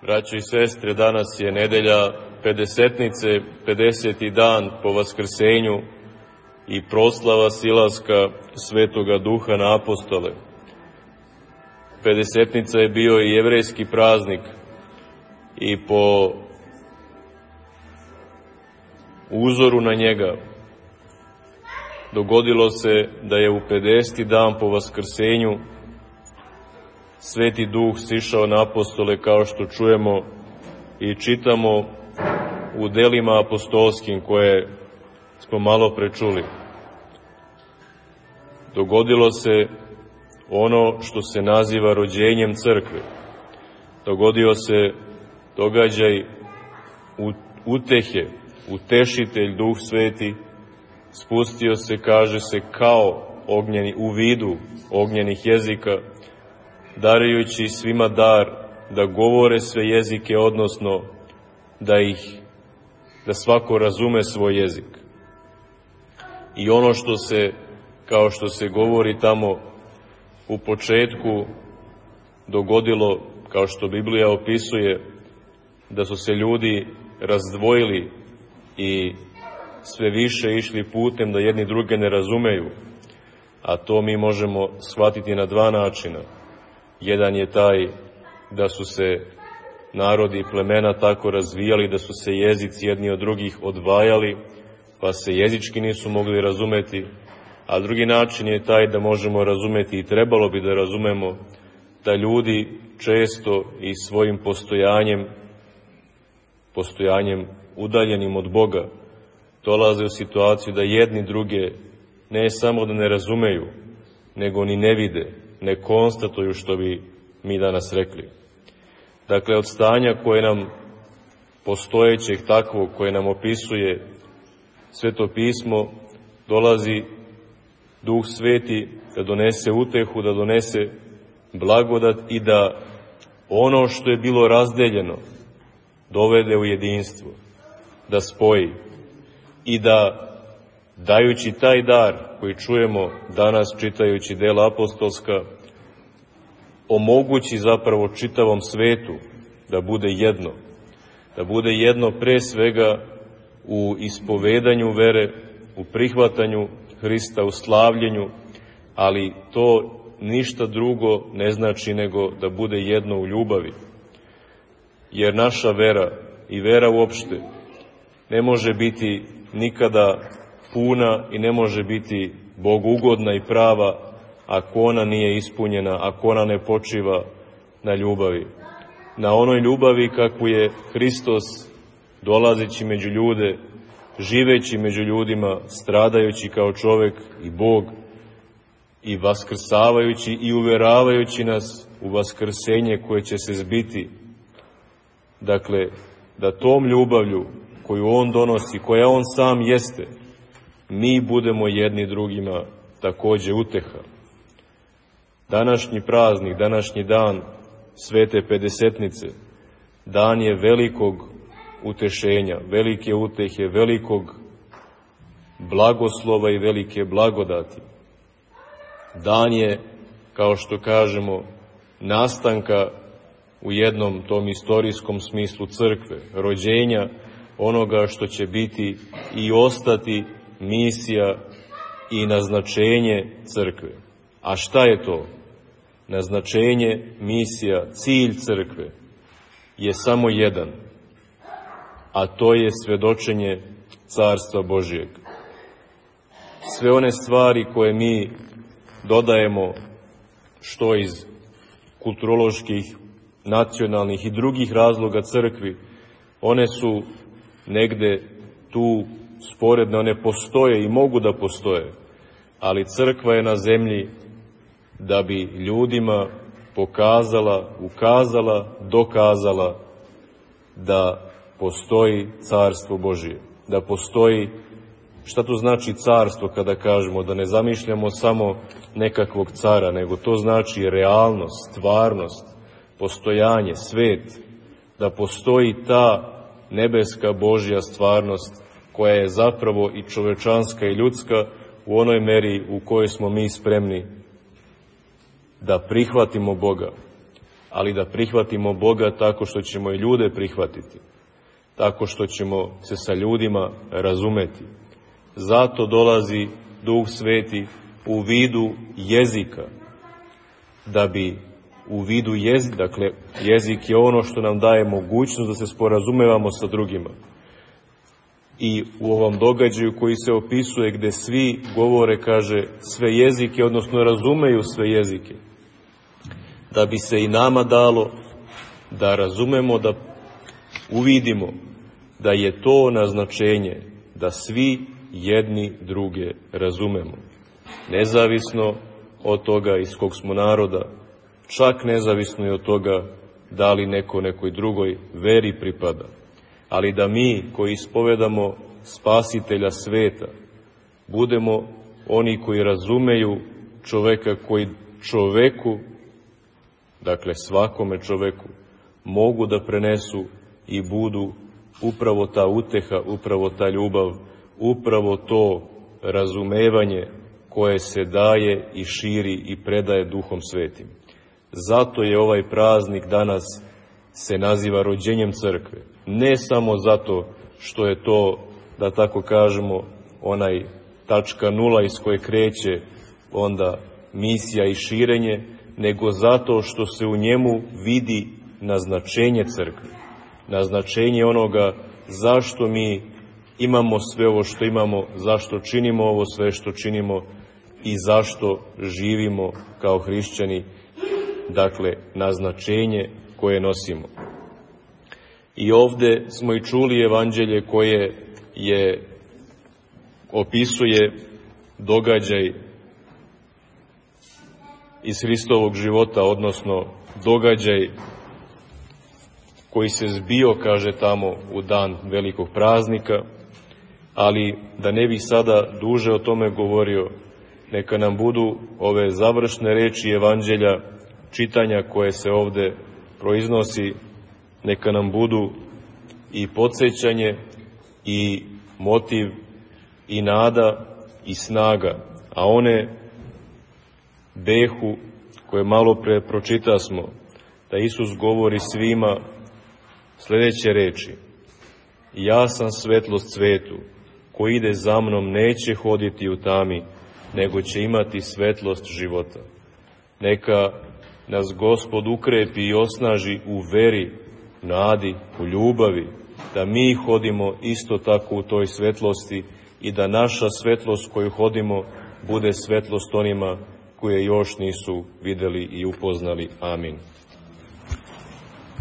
Braćo i sestre, danas je nedelja Pedesetnice, 50. dan po Vaskrsenju i proslava silaska Svetoga Duha na apostole. Pedesetnica je bio i jevrejski praznik i po uzoru na njega dogodilo se da je u 50. dan po Vaskrsenju Sveti Duh sišao na apostole, kao što čujemo i čitamo u delima apostolskim koje smo malo prečuli. Dogodilo se ono što se naziva rođenjem crkve. Dogodio se događaj utehe, utešitelj Duh Sveti spustio se, kaže se, kao ognjeni, u vidu ognjenih jezika, darujući svima dar da govore sve jezike, odnosno da svako razume svoj jezik. I ono što se, kao što se govori tamo u početku, dogodilo, kao što Biblija opisuje, da su se ljudi razdvojili i sve više išli putem da jedni druge ne razumeju, a to mi možemo shvatiti na dva načina. Jedan je taj da su se narodi i plemena tako razvijali da su se jezici jedni od drugih odvajali, pa se jezički nisu mogli razumeti, a drugi način je taj da možemo razumeti i trebalo bi da razumemo da ljudi često i svojim postojanjem udaljenim od Boga dolaze u situaciju da jedni druge ne samo da ne razumeju, nego ni ne vide, ne konstatuju, što bi mi danas rekli. Dakle, od stanja koje nam postojećeg takvog, koje nam opisuje Sveto pismo, dolazi Duh Sveti da donese utehu, da donese blagodat i da ono što je bilo razdeljeno dovede u jedinstvo, da spoji i da, dajući taj dar koji čujemo danas čitajući dela apostolska, omogući zapravo čitavom svetu da bude jedno pre svega u ispovedanju vere, u prihvatanju Hrista, u slavljenju, ali to ništa drugo ne znači nego da bude jedno u ljubavi. Jer naša vera i vera uopšte ne može biti nikada puna i ne može biti bogougodna i prava ako ona nije ispunjena, ako ona ne počiva na ljubavi. Na onoj ljubavi kakvu je Hristos, dolazeći među ljude, živeći među ljudima, stradajući kao čovek i Bog i vaskrsavajući i uveravajući nas u vaskrsenje koje će se zbiti. Dakle, da tom ljubavlju koju On donosi, koja On sam jeste, mi budemo jedni drugima takođe uteha. Današnji praznik, današnji dan Svete Pedesetnice, dan je velikog utešenja, velike utehe, velikog blagoslova i velike blagodati. Dan je, kao što kažemo, nastanka u jednom tom istorijskom smislu crkve, rođenja onoga što će biti i ostati misija i naznačenje crkve. A šta je to? Naznačenje, misija, cilj crkve je samo jedan, a to je svedočenje Carstva Božijeg. Sve one stvari koje mi dodajemo, što iz kulturoloških, nacionalnih i drugih razloga crkvi, one su negde tu sporedne, one postoje i mogu da postoje, ali crkva je na zemlji da bi ljudima pokazala, ukazala, dokazala da postoji Carstvo Božije, da postoji. Šta to znači carstvo kada kažemo? Da ne zamišljamo samo nekakvog cara, nego to znači realnost, stvarnost, postojanje, svet, da postoji ta nebeska Božja stvarnost koja je zapravo i čovečanska i ljudska u onoj meri u kojoj smo mi spremni da prihvatimo Boga. ali da prihvatimo Boga tako što ćemo i ljude prihvatiti, tako što ćemo se sa ljudima razumeti. Zato dolazi Duh Sveti u vidu jezika, da bi u vidu jezika, dakle jezik je ono što nam daje mogućnost da se sporazumevamo sa drugima. I u ovom događaju koji se opisuje gde svi govore, kaže, sve jezike, odnosno razumeju sve jezike, da bi se i nama dalo da razumemo, da uvidimo da je to naznačenje da svi jedni druge razumemo. Nezavisno od toga iz kog smo naroda, čak nezavisno i od toga da li neko nekoj drugoj veri pripada. Ali da mi koji ispovedamo Spasitelja sveta budemo oni koji razumeju čoveka, koji čoveku, dakle svakome čoveku, mogu da prenesu i budu upravo ta uteha, upravo ta ljubav, upravo to razumevanje koje se daje i širi i predaje Duhom Svetim. Zato je ovaj praznik danas se naziva rođenjem crkve. Ne samo zato što je to, da tako kažemo, onaj tačka nula iz koje kreće onda misija i širenje, nego zato što se u njemu vidi naznačenje crkve, naznačenje onoga zašto mi imamo sve ovo što imamo, zašto činimo ovo sve što činimo i zašto živimo kao hrišćani, dakle, naznačenje koje nosimo. I ovde smo i čuli evanđelje koje opisuje događaj iz Hristovog života, odnosno događaj koji se zbio, kaže tamo, u dan velikog praznika, ali da ne bih sada duže o tome govorio, neka nam budu ove završne reči evanđelja, čitanja koje se ovde proiznosi, neka nam budu i podsjećanje i motiv i nada i snaga, a one behu koje malo pre pročitasmo, da Isus govori svima sledeće reči: ja sam svetlost svetu, ko ide za mnom neće hoditi u tami, nego će imati svetlost života. Neka nas Gospod ukrepi i osnaži u veri, nadi, u ljubavi, da mi hodimo isto tako u toj svetlosti i da naša svetlost koju hodimo bude svetlost onima koje još nisu videli i upoznali. Amin.